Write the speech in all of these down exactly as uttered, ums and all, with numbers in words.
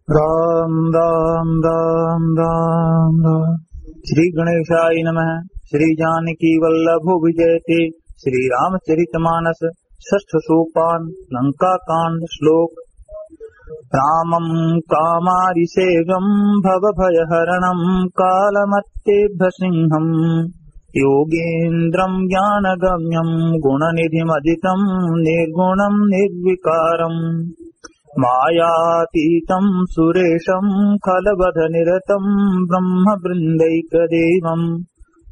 राम राम राम राम राम। श्री गणेशाय नमः। श्री जानकी वल्लभो विजयते श्री रामचरितमानस षष्ठ सोपान लंका कांड। श्लोक। रामं कामारिसेव्यं भवभयहरणं कालमत्येभ्यसिंहम्। योगीन्द्रं ज्ञानगम्यं गुणनिधिमजितं निर्गुणं निर्विकारम्। मायातीतं सुरेशं खलवधनिरतं ब्रह्मवृन्दैकदेवम्।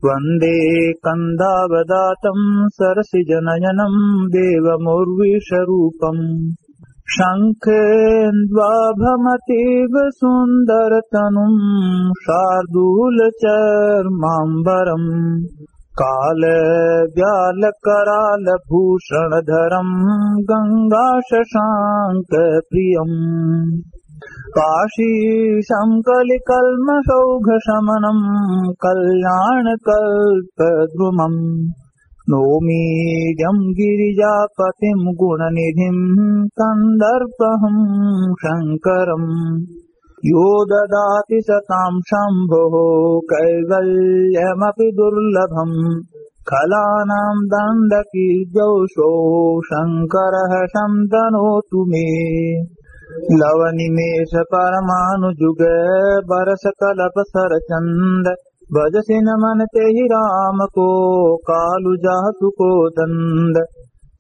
वन्दे कन्दावदातं सरसिजनयनं देवमुर्वीशरूपम्। शङ्खेन्द्वाभमतीव सुन्दरतनुं शार्दूलचर्माम्बरम्। कालव्यालकरालभूषणधरं गङ्गाशशाङ्कप्रियम्। काशीशं कलिकल्मषौघशमनं कल्याणकल्पद्रुमम्। नौमीड्यं गिरिजापतिं गुणनिधिं कन्दर्पहं शङ्करम्। यो ददाति सतां शम्भोः कैवल्यमपि दुर्लभम्। खलानां दण्डकीर्यौषो शङ्करः शन्तनोतु मे। लवनिमेषपरमाणुजुग बरसकलपसरचण्ड। बजसिन मन तेहि राम को कालु जासु कोदण्ड।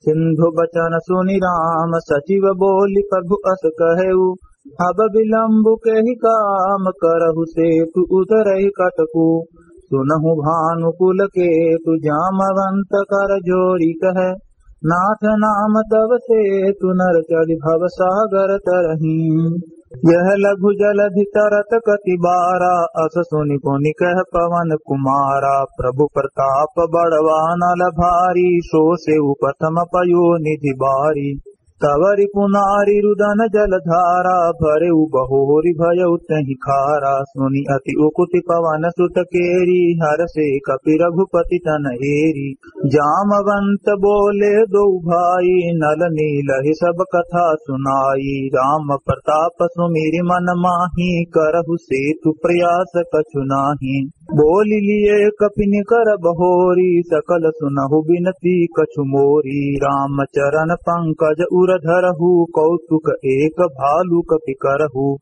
सिंधु बचन सुनि राम सचिव बोलि प्रभु अस कहेउ। अब विलम्बु केहि काम करहु सेतु उतरहि कटकु। सुनहु भानु कुलकेतु जामवंत करजोरि कहे। नाथ नाम तव सेतु नर चढ़ि भवसागर तरहीं। यह लघु जलधि तरत कति बारा। अस सुनि पुनि कह पवन कुमारा। प्रभु प्रताप बड़वा नल भारी। सो सेउ प्रथम पयो निधि बारी। तव रिपु नारि रुदन जलधारा। भरेउ बहोरि भयउ तेहि खारा। सुनि अति उकुति पवन सुत केरी। हरषे कपि रघुपति तन एरी। जामवंत बोले दोउ भाई। नल नीलहि सब कथा सुनाई। राम प्रताप सुमिरि मन माही। करहु सेतु प्रयास कछु नाही। बोलि लिये कपि निकर बहोरी। सकल सुनहु बिनती कछु मोरी। राम चरण पंकज उर धरहु। कौतुक एक भालु कपि करहु।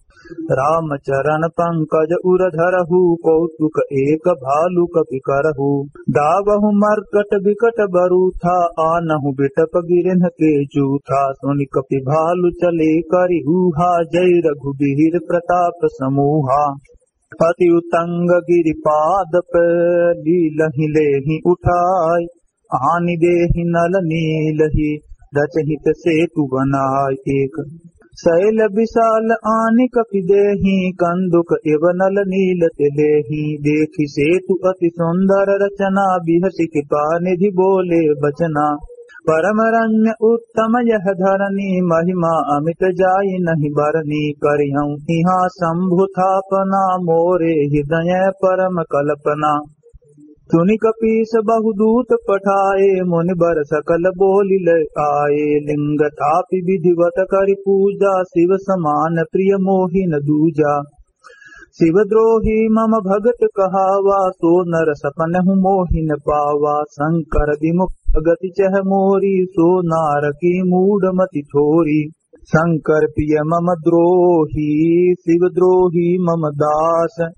राम चरण पंकज उर धरहु। कौतुक एक भालु कपि करहु। दावहु मर्कट बिकट बरूथा। आनहु बिटप गिरिन्ह के जूथा। सुनि कपि भालु चले करि हूहा। जय रघुबीर प्रताप समूहा। अति उतंग गिरिपादप लीलहि लेहि उठाय। आनि देहि नल नीलहि रचहित सेतु बनाय। एक। सैल बिसाल आनि कपि देहि। कंदुक इव नल नील ते लेहि। देखि सेतु अति सुंदर रचना। बिहसि कृपा निधि बोले बचना। परम रम्य उत्तम यह धरनी। महिमा अमित जाइ नहि बरनी। करिहउँ इहाँ शंभु थापना। मोरे हृदय परम कल्पना। सुनि कपीस बहु दूत पठाए। मुनि बर सकल बोलि लय आए। लिंग थापि विधिवत करि पूजा। शिव समान प्रिय मोहि न दूजा। शिवद्रोही मम भगत कहावा। सो नर सपनहु मोहि न पावा। शंकर विमुख भगति चह मोरी। सो नारकी मूढ़ मति थोरी। शंकर प्रिय मम द्रोही। शिवद्रोही मम दास।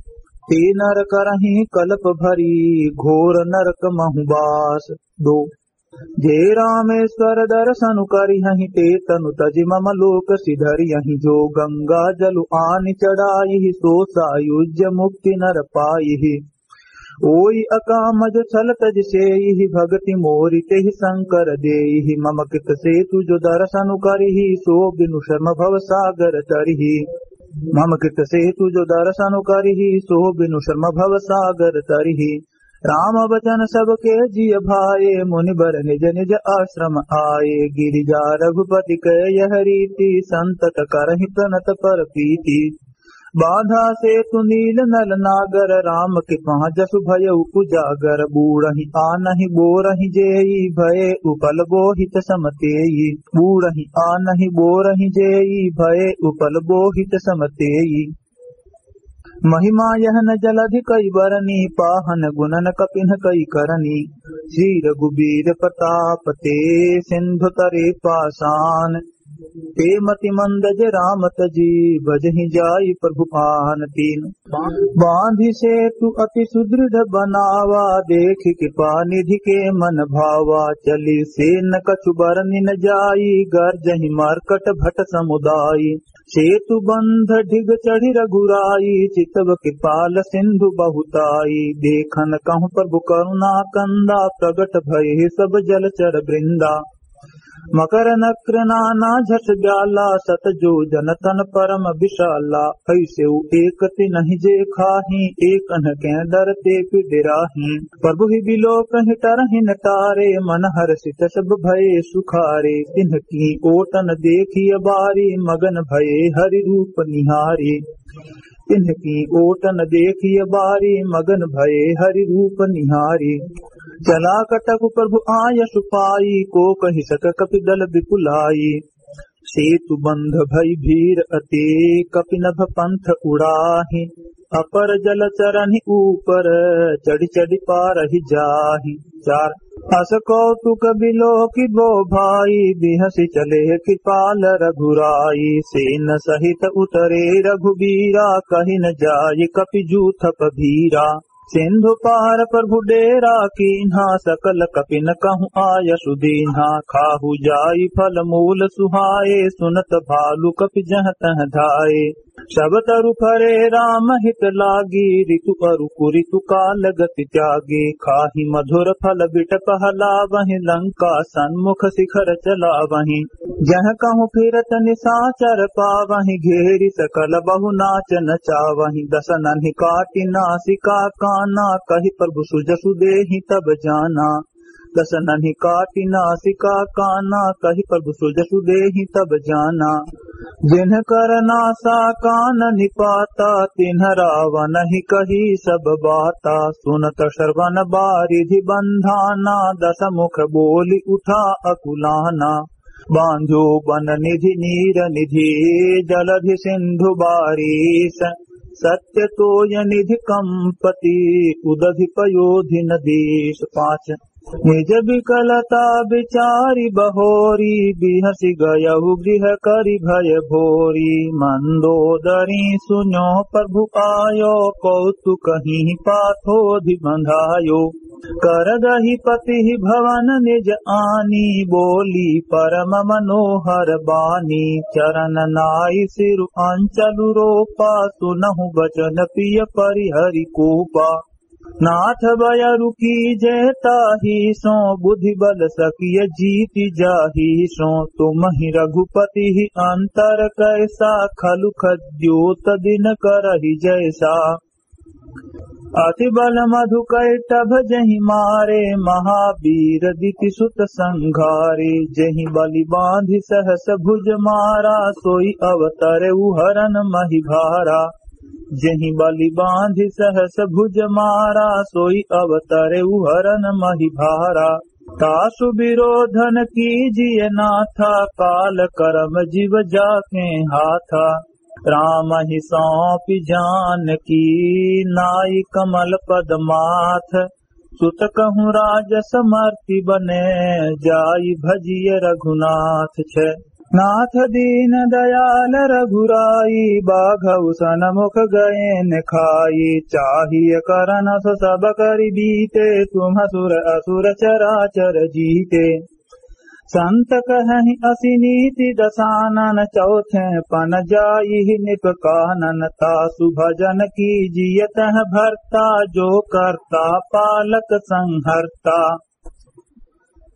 ते नर करहिं कलप भरी। घोर नरक महु बास। दो। जे रामेश्वर दरसनु करिहहिं ते तनु तजि मम लोक सिधरिहहिं। जो गंगा जलु आनि चढ़ाइहि सो सायुज्य मुक्ति नर पाइहि। ओइ अकाम जो छल तजि सेइहि भगति मोरि तेहि शंकर देइहि। मम कृत सेतु जो दरसनु करिहि सो बिनु श्रम भव सागर तरिहि। मम कृत सेतु जो दरसनु करिहि सो बिनु श्रम भव सागर तरिहि। राम बचन सबके जिय भाए। मुनि बर निज निज आश्रम आए। गिरिजा रघुपति कह यह रीति। संतत करहिं प्रणत पर प्रीति। बाँधा सेतु नील नल नागर, राम के पाँजसु भयउ उजागर। बूड़हि आनहि बोरहि जेई, भये उपल बोहित सम तेई। बूड़हि आनहि बोरहि जेई, भये उपल बोहित सम तेई। महिमा यह न जलधि कइ बरनी, पाहन गुणन कपिन कइ करनी। श्री रघुबीर प्रताप ते, सिंधु तरे पासान। ते मति मंद जे राम तजी, बजहि जाई प्रभु आन। तीन। बाँधि सेतु अति सुदृढ़ बनावा, देखि कृपा निधि के मन भावा। चली सेन कछु बरनि न जाई, गर्जहि मर्कट भट समुदाय। सेतु बंध ढिग चढ़ि रघुराई, चितव कृपाल सिंधु बहुताई। देखन कहु प्रभु करुणा कंदा, प्रगट भये सब जलचर वृंदा। मकर नक्र नाना झस ब्याला, सत जोजन तन परम विशाला। ऐसेउ एक तिन्हि जे खाही, एक अनके डरते पि डेराही। प्रभु ही बिलोकहि टरहिन टारे, मन हरषित सब भये सुखारे। तिन्हकी ओटन देखिय बारी, मगन भये हरि रूप निहारे। तिन्हकी ओटन देखिय बारी, मगन भये हरि रूप निहारे। चला कटक प्रभु आयसु पाई, को कहि सक कपि दल बिपुलाई। सेतु बंध भई भीर अति, कपि नभ पंथ उड़ाहि। अपर जल चरनि ऊपर, चढ़ि चढ़ि पारहि जाहि। चार। अस कौतुक बिलोकि बो भाई, बिहसि चले कृपाल रघुराई। सेन सहित उतरे रघुबीरा, कहि न जाय कपि जूथप भीरा। सिंधु पार प्रभु डेरा कीन्हा, सकल कपिन कहु आयसु दीन्हा। खाहु जाई फल मूल सुहाए, सुनत भालु कपि जह तह धाए। सब तरु फरे राम हित लागी, ऋतु अरु कुरितु काल गति त्यागी। खाहि मधुर फल बिटप हलावहि, लंका सन्मुख शिखर चलावहि। जह कहु फिरत निसाचर पावहि, घेरि सकल बहु नाच नचावहि। दसनन्हि काटि नासिका काना, कहि प्रभु सुजसु देहि तब जाना। दसनन्हि काटि नासिका काना, कहि प्रभु सुजसु देहि तब जाना। जिनकर नासा कान निपाता, तिन्ह रावनहि कही सब बाता। सुनत श्रवण बारिधि बंधाना, दस मुख बोलि उठा अकुलाना। बाँझो बन निधि नीर निधि, जलधि सिंधु बारीस। सत्य तोय निधि कंपति, उदधि पयोधि न दीस। पाँच। निज विकलता विचारि बहोरी, बिहसि गयहु गृह करि भय भोरी। मंदोदरी सुन्यो प्रभु आयो, कौतुकहिं पाथोधि बंधायो। करदहि पतिहि भवन निज आनी, बोली परम मनोहर बानी। चरन नाइ सिरु अंचलु रोपा, सुनहु बचन पिय परिहरि कोपा। नाथ बयरु कीजे ताहि सों, बुद्धि बल सकिय जीति जाहि सों। तुमहि रघुपतिहि अंतर कैसा, खलु खद्योत दिन करहि जैसा। अति बल मधु कैटभ जहि मारे, महावीर दिति सुत संघारे। जहि बलि बाँधि सहस भुज मारा, सोइ अवतरेउ हरन महि भारा। जहि बलि बाँधि सहस भुज मारा, सोइ अवतरेउ हरन महि भारा। तासु विरोधन कीजिय नाथा, काल करम जिव जाके हाथा। रामहि सौंपि जानकी, नाइ कमल पद माथ। सुत कहूँ राज समर्पि बने, जाइ भजिय रघुनाथ। छे। नाथ दीन दयाल रघुराई, बाघउ सनमुख गएन खाई। चाहिय करन सो सब करि बीते, तुम सुर असुर चराचर जीते। संत कहहिं असि नीति दसानन, चौथे पन जाइहि नृप कानन। तासु भजन कीजिय तह भरता, जो करता पालक संहरता।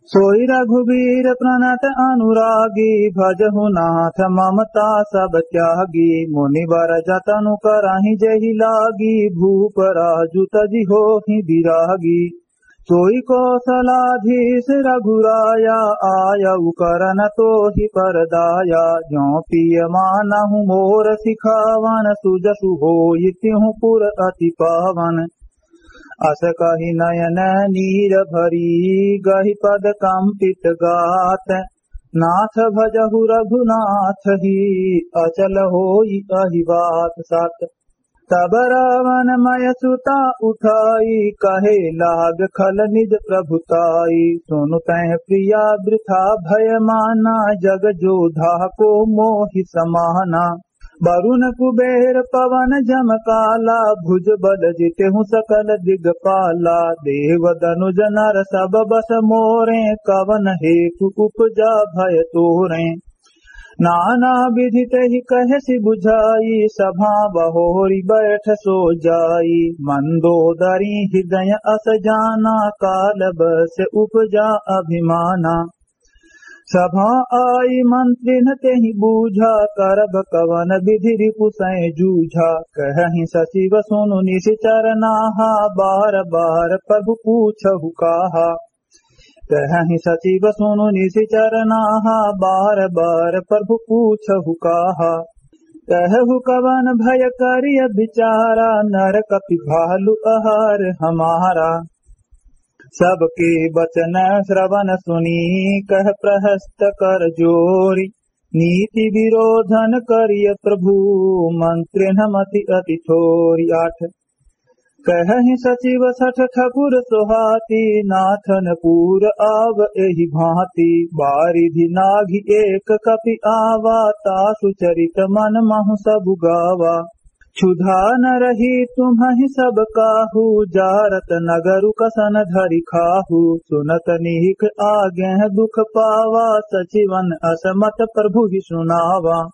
सोइ रघुबीर प्रणत अनुरागी, भजहु नाथ ममता सब त्यागी। मुनिवर जतनु करहिं जेहि लागी, भूप राजु तजि होहिं बिरागी। सोई कौसलाधीश रघुराया, आयउ करन तोहि परदाया। ज्यों पिय मानहु मोर सिखावन, सुजसु होई तिहु पुर अति पावन। अस कहि नयन नीर भरी, गहि पद कंपित गात। नाथ भजहु रघुनाथ ही, अचल होई अहि बात। सात। तब रावण मय सुता उठाई, कहे लाग खल निज प्रभुताई। सुनु तैं प्रिया वृथा भय माना, जग जोधा को मोहि समाना। वरुण कुबेर पवन जम काला, भुज बल जितेहु सकल दिगपाला। देव दनुज नर सब बस मोरे, कवन हेतु उपजा भय तोरे। नाना विधि तेहि कहसि बुझाई, सभा बहोरि बैठ सो जाई। मंदोदरी हृदय अस जाना, काल बस उपजा अभिमाना। सभा आई मंत्रिन तेहि बूझा, करब कवन विधि रिपु सैं जूझा। कहहि सचिव सुनु निशिचर नाहा, बार बार प्रभु पूछहु काहा। कहहि सचिव सुनु निशिचर नाहा, बार बार प्रभु पूछहु काहा। कहहु कवन भय करिय बिचारा, नर कपि भालु अहार हमारा। सबके बचन श्रवण सुनी, कह प्रहस्त कर जोरी। नीति विरोधन करिय प्रभु, मंत्रिन मति अति थोरी। आठ। कहहि सचिव सठ ठकुर सोहाती, नाथन पूर आव एहि भांति। बारिधि नाघि एक कपि आवा, तासु चरित मन महु सबु गावा। क्षुधा न रही तुम्हहि सब काहू, जारत नगरु कसन धरि खाहू। सुनत निहिक आगेह दुख पावा, सचिवन अस मत प्रभु ही सुनावा।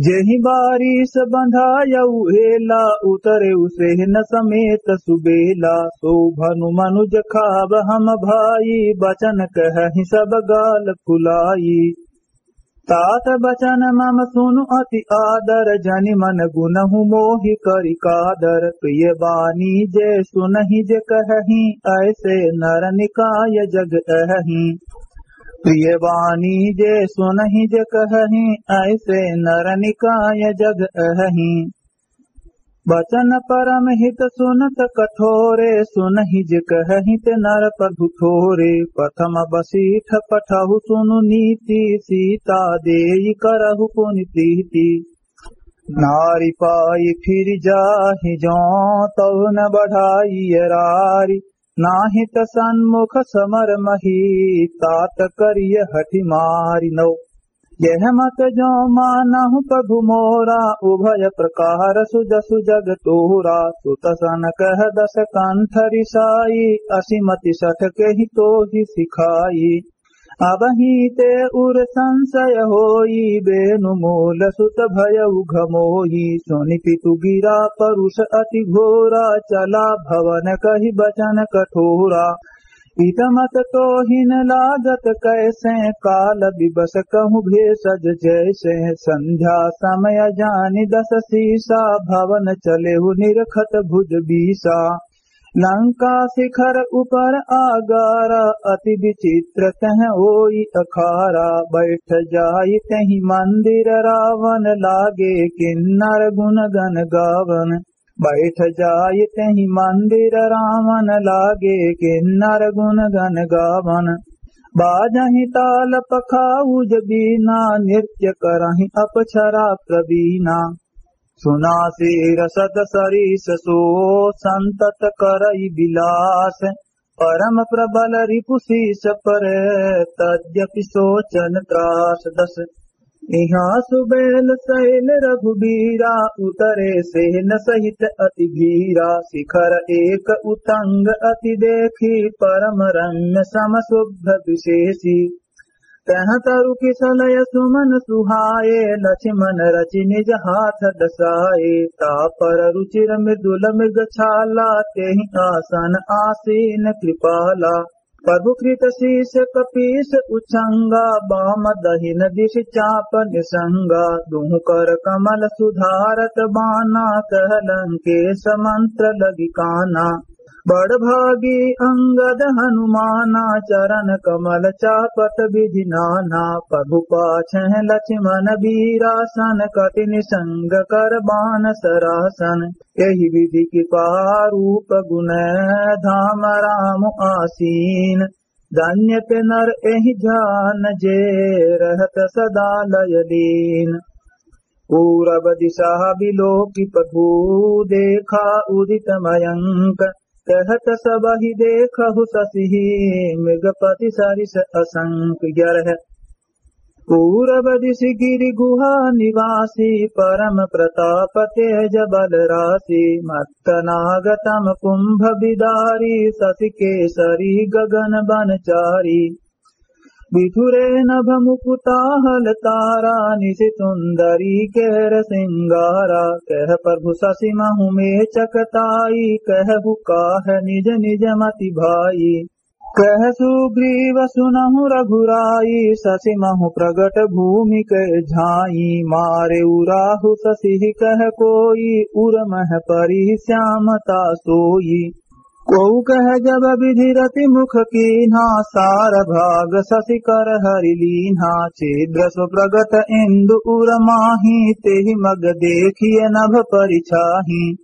जेहि बारिस बंधायउ हेला, उतरेउ सेहन समेत सुबेला। सो भनु मनुज खाब हम भाई, बचन कहहि सब गाल फुलाई। तात बचन मम सुनु अति आदर, जनि मन गुनहु मोहि करि कादर। प्रिय बानी जे सुनहि जे कहहि, ऐसे नर निकाय जग अहहि। प्रिय बानी जे सुनहि जे कहहि, ऐसे नर निकाय जग अहहि। बचन परम हित सुनत कठोरे, सुनहि जे कहहि ते नर प्रभु थोरे। प्रथम बसीठ पठहु सुनु नीति, सीता देइ करहु पुनि प्रीति। नारि पाइ फिरि जाहि जों, तहु न बढ़ाइ अरारि। नाहित सन्मुख समर मही, तात करिय हठि मारि। नौ। यह मत जो मानहु प्रभु मोरा, उभय प्रकार सुजसु जग तोरा। सुत सन कह दस कंठ रिसाई, असि मति सठ केहि तोहि सिखाई। अबहीं ते उर संसय होई, बेनु मोल सुत भयउ घमोई। सुनि पितु गिरा परुष अति घोरा, चला भवन कहि बचन कठोरा। इत मत तोहिन लागत कैसे, काल बिबस कहूँ भेषज जैसे। संध्या समय जानि दस सीसा, भवन चलेहु निरखत भुज बीसा। लंका शिखर उपर आगारा, अति विचित्र तह होई अखारा। बैठ जाई तेहि मंदिर रावन, लागे किन्नर गुन गन गावन। बैठ जाई तेहि मंदिर रावन, लागे किन्नर गुन गन गावन। बाजहि ताल पखाउज बीना, नृत्य करहि अपछरा प्रवीना। सुना शीरसत सरीस सो, संतत करइ बिलास। परम प्रबल रिपु सीस पर, तद्यपि सोचन त्रास। दस। इहाँ सुबेल सैल रघुबीरा, उतरे सेन सहित अति भीरा। शिखर एक उतंग अति देखी, परम रम्य सम शुभ विशेषी। तह तरु किसलय सुमन सुहाए, लक्ष्मण रचि निज हाथ दसाए। तापर रुचिर मृदुल मृग छाला, तेहि आसन आसीन कृपाला। प्रभु कृत शीश कपीस उछंगा, बाम दहिन दिश चाप निसंगा। दुहु कर कमल सुधारत बाना, कह लंकेश मंत्र लगी काना। बड़ भागी अंगद हनुमाना, चरण कमल चापत विधि नाना। प्रभु पाछे लक्ष्मण वीरासन, कटि निसंग कर बान सरासन। एहि विधि कृपा रूप गुण, धाम राम आसीन। धन्य ते नर एहि जान, जे रहत सदा लय लीन। पूरब दिशा बिलोकि प्रभु, देखा उदित मयंक। कहत सबहि देखहु शशिहि, मृगपति सरिस असंक। ग्यारह। पूरब दिशि गिरि गुहा निवासी, परम प्रताप तेज बल राशि। मत्त नाग तम कुंभ बिदारी, शशि केसरी गगन बन चारी। बिधुरे नभ मुकुटाहल तारा, निशि सुंदरी केर सिंगारा। कह प्रभु शशि महु मेचक ताई, कहु काह निज निज मति भाई। कह सुग्रीव सुनहु रघुराई, शशि महु प्रगट भूमि के झाई। मारेउ राहु शशिहि कह कोई, उर मह परि श्यामता सोई। कोउ कह जब विधि रति मुख कीन्हा, सार भाग शशि कर हरि लीन्हा। शीघ्र सु प्रगट इंदु उर माही, तेहि मग देखिय नभ परिछाही।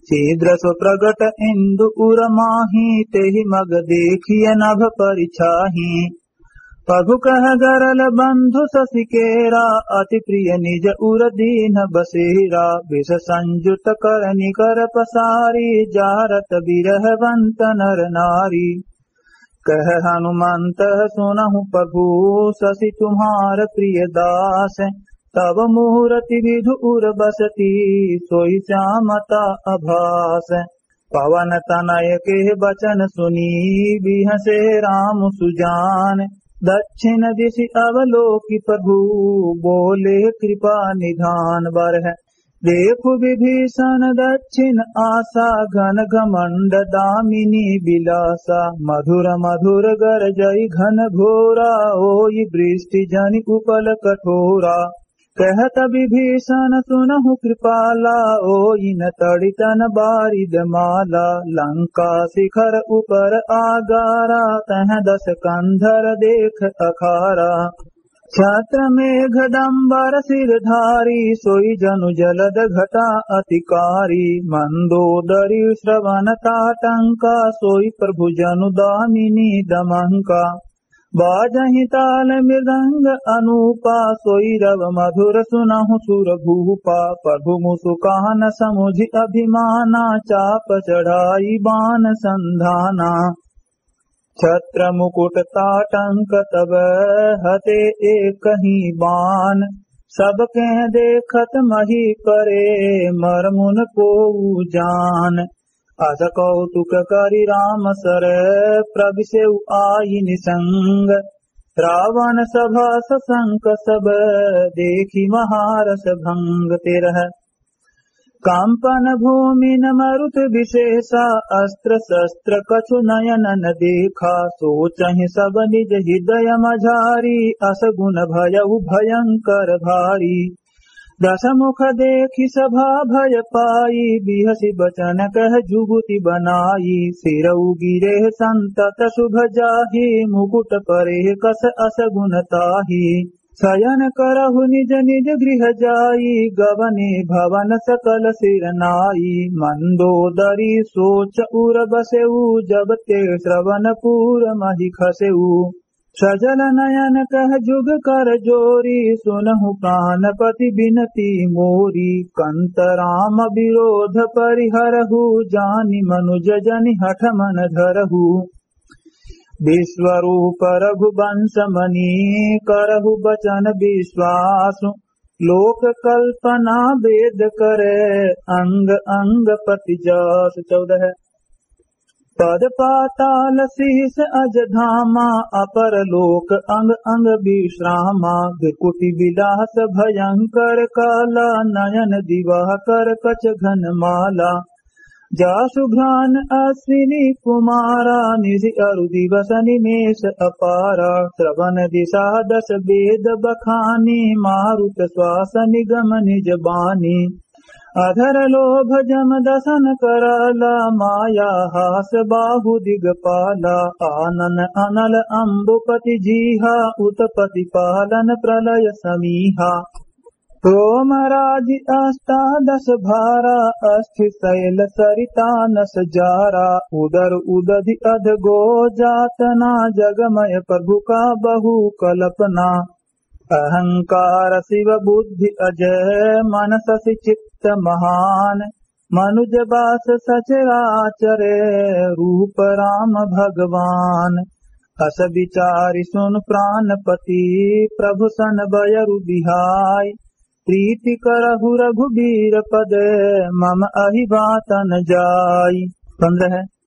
शीघ्र सु प्रगट इंदु उर माही, तेहि मग देखिय नभ परिछाही। प्रभु कह गरल बंधु शशि केरा, अति प्रिय निज उर दीन्ह बसेरा। विष संयुत करनि कर पसारी, जारत बिरहवंत नर नारी। कह हनुमंत सुनहु प्रभु शशि तुम्हार प्रिय दास। तब मूरति विधु उर बसती, सोई श्यामता अभास। पवन तनय के बचन सुनी, बिहसे राम सुजान। दक्षिण दिशि अवलोकि प्रभु, बोले कृपा निधान। बारह। देखु विभीषण दक्षिण आसा, घन घमंड दामिनी बिलासा। मधुर मधुर गरजइ घन घोरा, ओई बृष्टि जनि उपल कठोरा। कहत विभीषण सुनहु कृपाला, ओई न तड़ि तन बारिद माला। लंका शिखर उपर आगारा, तह दस कंधर देख अखारा। छत्र मेघ डंबर सिर धारी, सोई जनु जलद घटा अति कारी। मंदोदरी श्रवण ताटंका, सोई प्रभु जनु दामिनी दमंका। बाजहि ताल मृदंग अनूपा, सोई रव मधुर सुनहु सुर भूपा। प्रभु मुसुकान समुझि अभिमाना, चाप चढ़ाई बान संधाना। छत्र मुकुट ताटंक तब हते एकहि बान, सबके देखत मही करे मर मुन कोउ जान। अस कौतुक करि राम सर प्रविसेउ आइ निसंग, रावण सभा ससंक सब देखि महारस भंग। तेरह। कंपन भूमि न मरुत विशेषा, अस्त्र शस्त्र कछु नयन न देखा। सोचहि सब निज हृदय मझारी, अस गुन भयउ भयंकर भारी। दस मुख देखि सभा भय पाई, बिहसि बचन कह जुगुति बनाई। सिरउ गिरे संतत शुभ जाहि, मुकुट परे कस अस गुन ताहि। शयन करहु निज निज गृह जाई, गवने भवन सकल सिर नाई। मंदोदरी सोच उर बसेउ, जब ते श्रवणपुर महि खसेउ। सजल नयन कह जुग कर जोरी, सुनहु प्राणपति बिनती मोरी। कंत राम विरोध परिहरहु, जानि मनुज जनि हठ मन धरहु। विश्वरूप रघुवंश मनि करहु बचन विश्वास, लोक कल्पना वेद करे अंग अंग पति जास। चौदह। पद पाताल शीश अज धामा, अपर लोक अंग अंग विश्रामा। भृकुटि विलास भयंकर काला, नयन दिवाकर कच घन माला। जासु घ्राण अश्विनी कुमारा, निशि अरु दिवस निमेष अपारा। श्रवण दिशा दस वेद बखानी, मारुत श्वास निगम निज बानी। अधर लोभ जम दसन करला, माया हास बाहु दिगपाला। आनन अनल अम्बुपति जीहा, उत्पति पालन प्रलय समीहा। रोम राजि अष्टादश भारा, अस्थि सैल सरिता नस जारा। उदर उदधि अध गो जातना, जगमय प्रभु का बहु कल्पना। अहंकार शिव बुद्धि अजय, मन शशि चित्त महान। मनुज बास सचराचरे, रूप राम भगवान। अस बिचारि सुन प्राणपति, प्रभु सन बयरु बिहाई। प्रीति करहु रघुबीर पद, मम अहि बातन जाई। पन्द्रह।